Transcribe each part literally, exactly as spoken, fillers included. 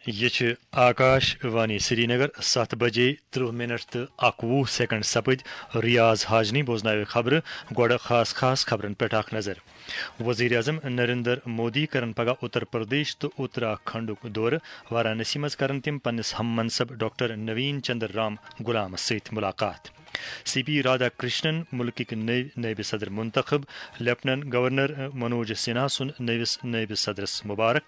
یہِ چھِ آکاش وانی سرینگر۔ ستھ بجے ترٕہ منٹ تہٕ اکوُہ سیکنڈ سپٕدۍ۔ ریاض حاجنی بوزناوِ خبرٕ۔ گۄڈٕ خاص خاص خبرن پٮ۪ٹھ اکھ نظر۔ وزیر اعظم نریندر مودی کرن پگاہ اتر پردیش تہٕ اتراکھنڈُک دورٕ۔ وارانسی منٛز کرن تِم پننِس ہم منصب ڈاکٹر نوین چندر رام غلامس سۭتۍ ملاقات۔ سی پی رادھا کرشنن ملکٕکۍ نٔوۍ نٲیِب صدر منتخب۔ لیفٹننٹ گورنر منوج سنہا سُنٛد نٔوِس نٲیِب صدرس مبارک۔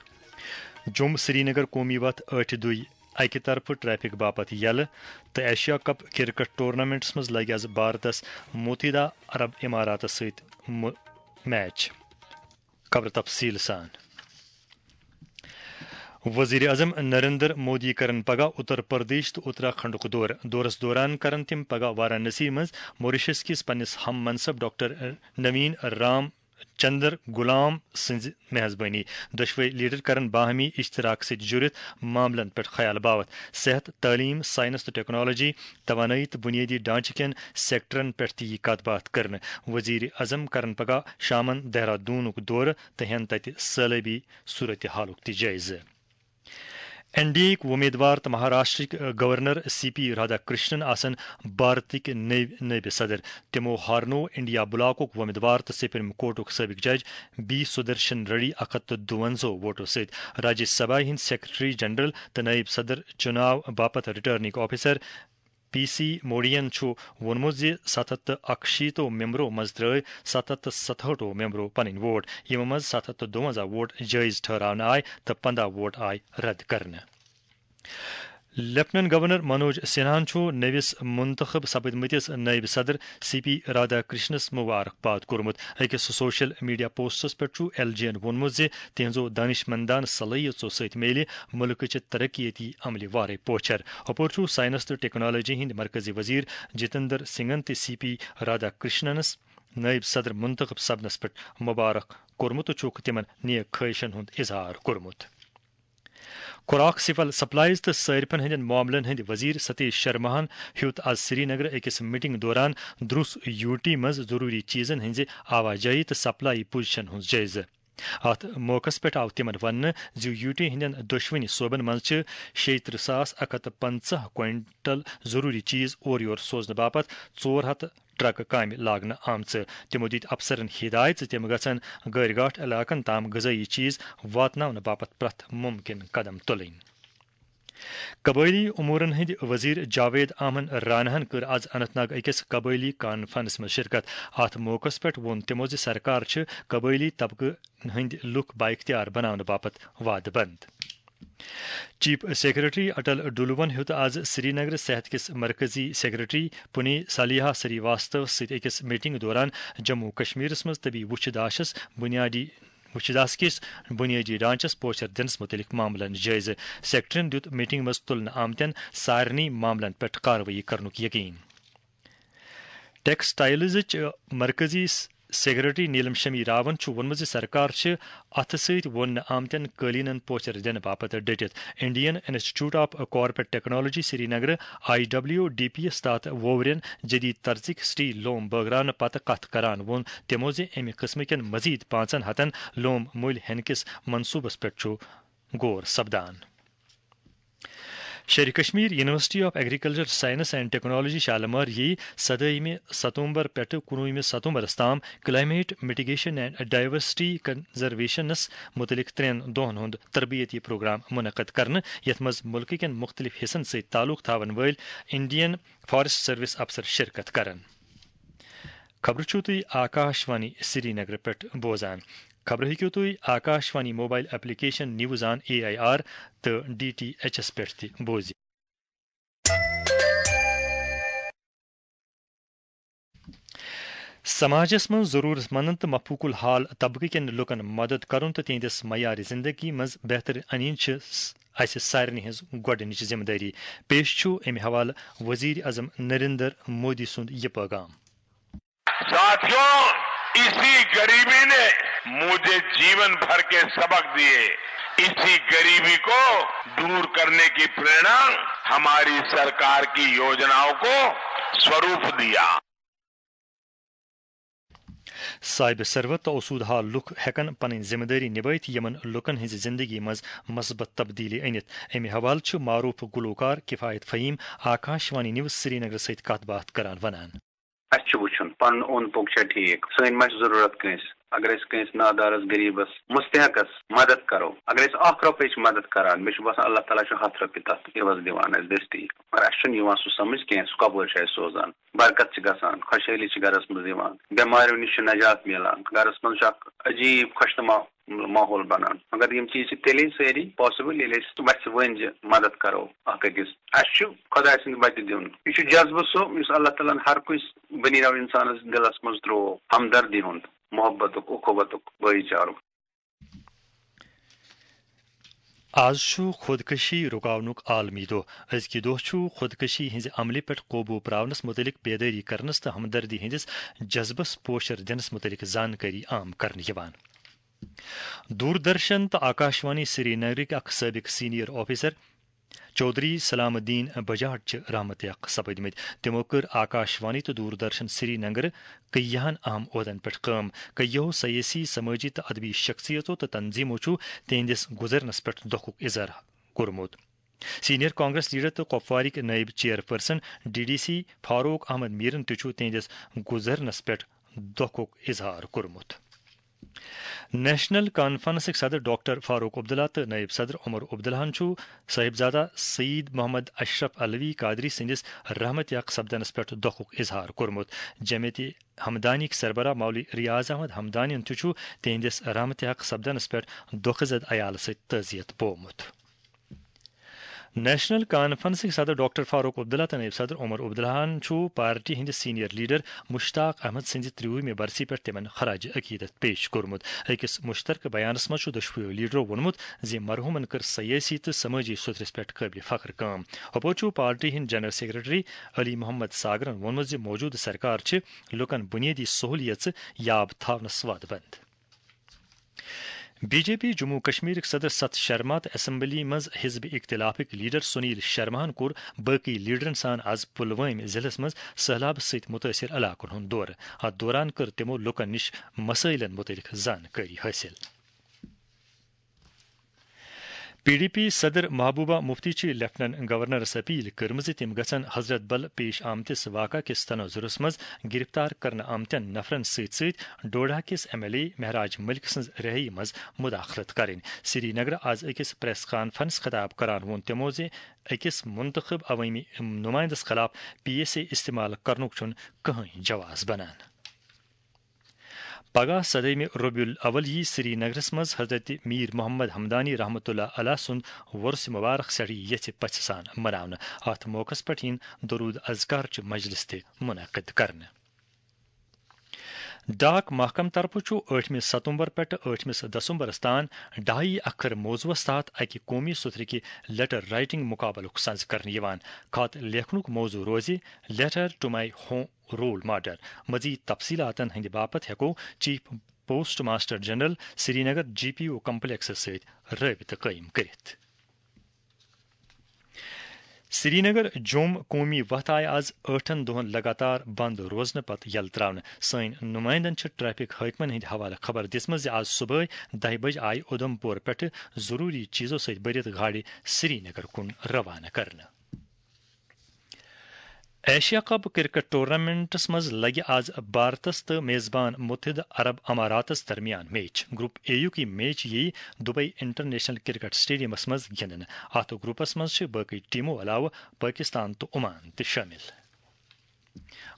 جوٚم سرینگر قومی وتھ ٲٹھِ دُہۍ اکہِ طرفہٕ ٹریفک باپتھ یلہٕ تہٕ ایشیا کپ کرکٹ ٹورنامنٹس منٛز لگہِ آز بھارتس متحدہ عرب اماراتس سۭتۍ مُ-، میچ۔ خبر تفصیل سان۔ وزیر اعظم نریندر مودی کرن پگاہ اتر پردیش تہٕ اتراکھنڈُک دورٕ۔ دورس دوران کرن تِم پگاہ وارانسی منٛز موریشس کِس پننِس ہم منصب ڈاکٹر نوین رام چندر غلام سٕنٛزِ میزبٲنی۔ دۄشوے لیڈر کرن باہمی اشتراک سۭتۍ جُڑِتھ معاملن پٮ۪ٹھ خیال باوتھ۔ صحت، تعلیم، سائنس تہٕ ٹیکنالوجی، توانٲیی تہٕ بنیٲدی ڈھانچہٕ کٮ۪ن سیکٹرن پٮ۪ٹھ تہِ یِیہِ کتھ باتھ کرنہٕ۔ وزیر اعظم کرن پگاہ شامن دہرادونُک دورٕ تہٕ ہٮ۪ن تتہِ سٲلٲبی صورتحالُک تہِ جٲیزٕ۔ این ڈی اے یِکۍ وۄمیدوار تہٕ مہاراشٹرٕکۍ governor C P Radhakrishnan آسن بھارتٕکۍ نٔوۍ نٲیِب صدر۔ تِمو ہارنوو انڈیا بلاکُک وۄمیدوار تہٕ سپریم کورٹُک سٲبق جج بی سدرشن ریڈی اکھ ہتھ تہٕ دُوَنزاہ ووٹو سۭتۍ۔ راجیہ سبھا ہٕنٛدۍ سیکرٹری جنرل تہٕ نٲیِب صدر چُناو باپتھ ریٹرننگ آفیسر پی سی موڈیَن چھُ ووٚنمُت زِ ستھ ہتھ تہٕ اکشیٖتو ممبرو منٛز ترٲوۍ ستھ ہتھ تہٕ ستہٲٹھو ممبرو پنٕنۍ ووٹ، یِمو منٛز ستھ ہتھ تہٕ دُوَنزاہ ووٹ جٲیز ٹھہراونہٕ آے تہٕ پنٛداہ ووٹ آے رد کرنہٕ۔ لیفٹننٹ گورنر منوج سنہاہن چھُ نٔوِس منتخب سپدمٕتِس نٲیِب صدر سی پی رادھا کرشنس مبارک باد کوٚرمُت۔ أکِس سوشل میڈیا پوسٹس پٮ۪ٹھ چھُ ایل جی یَن ووٚنمُت زِ تِہنٛزو دانشمندانہٕ صلٲحیژو سۭتۍ میلہِ مُلکٕچہِ ترقیتی عملہِ وارے پوچھر۔ ہُپٲرۍ چھُ ساینس تہٕ ٹیکنالوجی ہٕنٛدۍ مرکزی وزیر جتندر سنگھن تہِ سی پی رادھا کرشننس نٲیِب صدر منتخب سپدنس پٮ۪ٹھ مبارک کوٚرمُت تہٕ چھُکھ تِمن نیک خٲہشن ہُنٛد اظہار کوٚرمُت۔ خوراک، سول سپلائز تہٕ صارفن ہٕنٛدٮ۪ن معاملن ہٕنٛدۍ وزیر ستیش شرماہن ہیوٚت آز سرینگر أکِس میٹنگ دوران دروس یو ٹی منٛز ضروٗری چیزن ہٕنٛزِ آواجٲہی تہٕ سپلائی پوزیشن ہُنٛد جٲیزٕ۔ اتھ موقعس پٮ۪ٹھ آو تِمن وننہٕ زِ یو ٹی ہٕنٛدٮ۪ن دۄشوٕنی صوبن منٛز چھِ شیٚیہِ ترٕٛہ ساس اکھ ہتھ تہٕ پنٛژاہ کوینٹل ضروٗری چیز اورٕ یور سوزنہٕ باپتھ ژور ہتھ ٹرکہٕ کامہِ لاگنہٕ آمژٕ۔ تِمو دِتۍ افسرن ہدایت زِ تِم گژھن غٲرۍ گاٹھ علاقن تام غذٲیی چیز واتناونہٕ باپتھ پرٛٮ۪تھ مُمکِن قدم تُلٕنۍ۔ قبٲئلی امورن ہٕنٛدۍ وزیر جاوید احمد راناہن کٔر آز اننت ناگ أکِس قبٲئلی کانفرنس منٛز شرکت۔ اتھ موقعس پٮ۪ٹھ ووٚن تِمو زِ سرکار چھِ قبٲئلی طبقہٕ ہٕنٛدۍ لُکھ بااختیار بناونہٕ باپتھ وعدٕ بنٛد۔ چیف سیکرٹری اٹل ڈولوَن ہیوٚت آز سرینگرٕ صحت کِس مرکزی سیکرٹری پُنی سالیہا سری واستوَس سۭتۍ أکِس میٹنگ دوران جموں کشمیرس منٛز طبی وُچھِ داشس بنیادی وُچھِ داس کِس بنیٲدی ڈھانچس پوچھر دِنس مُتعلق معاملن جٲیزٕ۔ سیکرٹریَن دیُت میٹنگ منٛز تُلنہٕ آمتٮ۪ن سارنٕے معاملن پٮ۪ٹھ کاروٲیی کرنُک یقین۔ ٹیکسٹائلزٕچ مرکزی س-، سیکرٹری نیلم شمی راون چھُ ووٚنمُت زِ سرکار چھِ اَتھٕ سۭتۍ ووننہٕ آمتٮ۪ن قٲلیٖنَن پوچھر دِنہٕ باپتھ ڈٔٹِتھ۔ Indian institute of corporate technology سرینگرٕ، آئی ڈبلیو ڈی پی یَس تحت ووورٮ۪ن جدید طرزٕکۍ سٹیل لوم بٲگراونہٕ پتہٕ کتھ کران ووٚن تِمو زِ اَمہِ قٕسمہٕ کٮ۪ن مزید پانٛژن ہتن لوم مٔلۍ ہٮ۪نہٕ کِس منصوبس پٮ۪ٹھ چھُ غور سپدان۔ Sher-i Kashmir university of agriculture science and technology Shalimar یی سدٲہمہِ ستمبر پٮ۪ٹھٕ کُنوُہمہِ ستمبرس تام کلائمیٹ میٹیگیشن اینڈ ڈائیورسٹی کنزرویشنس متعلق ترٛٮ۪ن دۄہن ہُنٛد تربیتی پروگرام منعقد کرنہٕ، یتھ منٛز مُلکہٕ کٮ۪ن مُختٔلِف حصن سۭتۍ تعلق تھاون وٲلۍ انڈین فارسٹ سروس افسر شرکت کرن۔ خبرٕ چھِو تُہۍ آکاش وانی سرینگرٕ پٮ۪ٹھ بوزان۔ خبرٕ ہیٚکِو تُہۍ Akashvani mobile application news on A I R تہٕ ڈی ٹی ایچ ایس پٮ۪ٹھ تہِ بوٗزِتھ۔ سماجس منٛز ضروٗرت مندن تہٕ مفوق الحال طبقہٕ کٮ۪ن لوٗکن مدد کرُن تہٕ تِہنٛدِس معیار زندگی منٛز بہتری انٕنۍ چھِ س-، اسہِ سارنٕے ہٕنٛز گۄڈٕنِچ ذمہٕ دٲری۔ پیش چھُ امہِ حوالہٕ وزیر اعظم نریندر مودی سُنٛد یہِ پیغام۔ ساتھیوں، اسی غریبی نے مجھے جیون بھر کے سبق دیے۔ اسی غریبی کو دور کرنے کی प्रेरणा हमारी सरकार की योजनाओं को स्वरूप दिया। صاحب ثروت تہٕ آسودٕ حال لوٗکھ ہٮ۪کن پنٕنۍ ذمہٕ دٲری نبٲوِتھ، یِمن لوٗکن ہٕنٛزِ زندگی منٛز مثبت تبدیلی أنِتھ۔ اَمہِ حوالہٕ چھُ معروٗف گلوکار کفایت فہیم آکاشوانی نیوز سرینگرٕ سۭتۍ کتھ باتھ کران ونان۔ اَسہِ چھُ وٕچھُن، پنُن اوٚنٛد پوٚک چھا ٹھیٖک، سٲنۍ ما چھِ ضروٗرت کٲنٛسہِ۔ اگر أسۍ کٲنٛسہِ نادارس، غریٖبس، مستحقس مدد کرو، اگر أسۍ اکھ رۄپے چھِ مدد کران، مےٚ چھُ باسان، اللہ تعالیٰ چھُ ہتھ رۄپیہِ تتھ عوض دِوان اَسہِ دٔستی۔ مگر اَسہِ چھُنہٕ یِوان سُہ سمجھ کینٛہہ، سُہ کپٲرۍ چھُ اَسہِ سوزان۔ برکت چھِ گژھان، خۄشحٲلی چھِ گرس منٛز یِوان، بٮ۪ماریو نِش چھُ نجات میلان، گرس منٛز چھُ اکھ عجیٖب خۄشنما ماحول بنان۔ مگر یِم چیٖز چھِ تیٚلے سٲری possible، ییٚلہِ أسۍ وَژھِ ؤنۍ زِ مدد کرو اکھ أکِس۔ اَسہِ چھُ خۄداے سٕنٛدِ وَتہِ دیُن۔ یہِ چھُ جذبہٕ سُہ، یُس اللہ تعالیٰ ہن ہر کُنہِ بنی نوع انسانس دلس منٛز ترٛوو، ہمدردی ہُنٛد، محبتُک، اخوتُک، بٲیی چارُک۔ آز چھُ خودکشی رُکاونُک عالمی دۄہ۔ أزکہِ دۄہ چھُ خودکشی ہٕنٛزِ عملہِ پٮ۪ٹھ قوبوٗ پراونس مُتعلق بیدٲری کرنس تہٕ ہمدردی ہٕنٛدِس جذبس پوچھر دِنس مُتعلق زانکٲری عام کرنہٕ یِوان۔ دوردرشن تہٕ آکاشوانی سرینگرٕکۍ اکھ سٲبق سینئر آفیسر چودھری سلام الدین بجاٹ چھِ رحمت یق سپدمٕتۍ۔ تِمو کٔر آکاشوانی تہٕ دوردرشن سرینگرٕ کیاہن اہم عہدن پٮ۪ٹھ کٲم۔ کیاہو سیٲسی، سمٲجی تہٕ ادبی شخصیتو تہٕ تنظیمو چھُ تِہنٛدِس گُزرنس پٮ۪ٹھ دۄکھُک اظہار کوٚرمُت۔ سینئر کانگریس لیڈر تہٕ کپوارٕکۍ نٲیِب chairperson D D C Farooq Ahmad میرن تہِ چھُ تِہنٛدِس گُزرنس پٮ۪ٹھ دۄکھُک اظہار کوٚرمُت۔ نیشنل کانفرنسٕکۍ صدر ڈاکٹر فاروق عبداللہ تہٕ نٲیِب صدر عمر عبداللہن چھُ صاحبزادہ سعید محمد اشرف علوی قادری سٕنٛدِس رحمت یق سپدنس پٮ۪ٹھ دۄکھُک اظہار کوٚرمُت۔ جمعیت ہمدانیٕکۍ سربراہ مولوی ریاض احمد ہمدانین تہِ چھُ تِہنٛدِس رحمت یق سپدنس پٮ۪ٹھ دۄکھٕ زد عیالہٕ سۭتۍ تعزیت بوومُت۔ نیشنل کانفرنسٕکۍ صدر ڈاکٹر فاروق عبداللہ تہٕ نٲیِب صدر عمر عبداللہن چھُ پارٹی ہٕنٛدِ سینئر لیڈر مشتاق احمد سٕنٛزِ ترٛیٚیِمہِ برسی پٮ۪ٹھ تِمن خراج عقیدت پیش کوٚرمُت۔ أکِس مشترکہٕ بیانس منٛز چھُ دۄشوٕیو لیڈرو ووٚنمُت زِ مرحومن کٔر سیٲسی تہٕ سمٲجی سوٚتھرِس پٮ۪ٹھ قٲبلِ فخر کٲم۔ ہُپٲرۍ چھُ پارٹی ہٕنٛدۍ جنرل سیکرٹری علی محمد ساگرن ووٚنمُت زِ موجودٕ سرکار چھِ لوٗکن بُنیٲدی سہوٗلیژٕ یاب تھاونس وعدٕ بنٛد۔ بی جے پی جموں کشمیرٕکۍ صدر ستھ شرما تہٕ اسمبلی منٛز حزب اختلافٕکۍ لیڈر سنیل شرماہن کوٚر باقی لیڈرن سان از پلوامہ ضلعس منٛز سہلابہٕ سۭتۍ متٲثر علاقن ہُنٛد دورٕ۔ اتھ دوران کٔر تِمو لوٗکن نِش مسٲیلن متعلق زانکٲری حٲصِل۔ پی ڈی پی صدر محبوبہ مفتی چھِ لیفٹیننٹ گورنرس اپیل کٔرمٕژ زِ تِم گژھن حضرت بل پیش آمتِس واقعہ کِس تناظرس منٛز گرفتار کرنہٕ آمتٮ۪ن نفرن سۭتۍ سۭتۍ ڈوڈہ کِس ایم ایل اے مہراج ملک سٕنٛز رہٲیی منٛز مداخلت کرٕنۍ۔ سری نگر از أکِس پریس کانفرنس خطاب کران ووٚن تِمو زِ أکِس منتخب عوٲمی نمائندس خلاف پی ایس اے استعمال کرنُک چھُنہٕ کٕہٕنۍ جواز بنان۔ پگاہ سدٲیمہِ ربیع الاول یی سری نگرس منٛز حضرت میر محمد ہمدانی رحمتہ اللہ علیہ سُنٛد وۄرث مبارک سٮ۪ٹھٕے یژھِ پژھِ سان مناونہٕ۔ اتھ موقعس پٮ۪ٹھ یِن درود اذکار چہِ مجلس تہِ منعقد کرنہٕ۔ ڈاک محکمہٕ طرفہٕ چھُ ٲٹھمہِ ستمبر پٮ۪ٹھٕ ٲٹھمِس دسمبرس تام ڈاہی اکھر موضوعس تحت اکہِ قومی سوٚتھرٕکہِ لیٹر رائٹنگ مقابلُک سنز کرنہٕ یِوان۔ خط لیکھنُک موضوع روزِ Letter to My Home Role Model۔ مزید تفصیلاتن ہٕنٛدِ باپتھ ہٮ۪کو chief post master general Srinagar G P O کمپلیکسس سۭتۍ رٲبطہٕ قٲیِم کٔرِتھ۔ سرینگر جوم قومی وتھ آیہِ آز ٲٹھن دۄہن لگاتار بند روزنہٕ پتہٕ یلہٕ تراونہٕ۔ سٲنۍ نمائندن چھِ ٹریفک حٲکمن ہٕنٛدِ حوالہٕ خبر دِژمٕژ زِ آز صبحٲے دَہہِ بجہِ آیہِ اُدھمپور پٮ۪ٹھٕ ضروٗری چیٖزو سۭتۍ بٔرِتھ گاڑِ سرینگر کُن روانہٕ کرنہٕ۔ ایشیا کپ کرکٹ ٹورنامنٹس منٛز لگہِ آز بھارتس تہٕ میزبان متحدہ عرب اماراتس درمیان میچ۔ گروپ اے یُک یہِ میچ یِیہِ دبئی انٹرنیشنل کرکٹ سٹیڈیمس منٛز گِنٛدنہٕ۔ اتھ گروپس منٛز چھِ باقٕے ٹیمو علاوٕ پٲکستان تہٕ عمان تہِ شٲمِل۔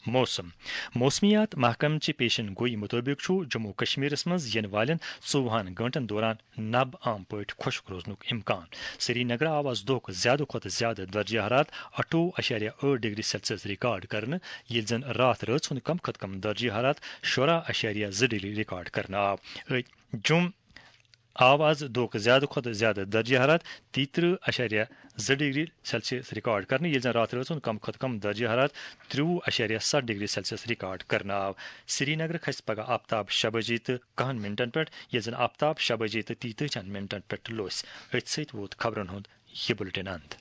موسم۔ موسمیات محکمہٕ چہِ پیشن گویی مُطٲبِق چھُ جموں کشمیرس منٛز یِنہٕ والٮ۪ن ژوٚوُہن گٲنٛٹن دوران نب عام پٲٹھۍ خۄشک روزنُک امکان۔ سرینگرٕ آو از دۄہُک زیادٕ کھۄتہٕ زیادٕ درجہ حرارت اَٹھووُہ اَشاریہ ٲٹھ ڈگری سیلسیس ریکارڈ کرنہٕ، ییٚلہِ زن راتھ رٲژ ہُنٛد کم کھۄتہٕ کم درجہ حرارت شُراہ اَشاریہ زٕ ڈگری ریکارڈ کرنہٕ آو۔ أتھۍ جوٚم آو از دۄہُک زیادٕ کھۄتہٕ زیادٕ درجہ حرارت تیٚیہِ ترٕٛہ اَشاریہ زٕ ڈگری سیلسیس ریکارڈ کرنہٕ، ییٚلہِ زن راتھ رٲژ ہُنٛد کم کھۄتہٕ کم درجہ حرارت ترٛوٚوُہ اَشاریہ ستھ ڈگری سیلسیس ریکارڈ کرنہٕ آو۔ سرینگرٕ کھسہِ پگہہ آفتاب شےٚ بجے تہٕ کہن منٹن پٮ۪ٹھ، ییٚلہِ زن آفتاب شےٚ بجے تہٕ تیتٲجی ہن منٹن پٮ۪ٹھ لوٚس۔ أتھۍ سۭتۍ ووت خبرن ہُنٛد یہِ بُلٹن اند۔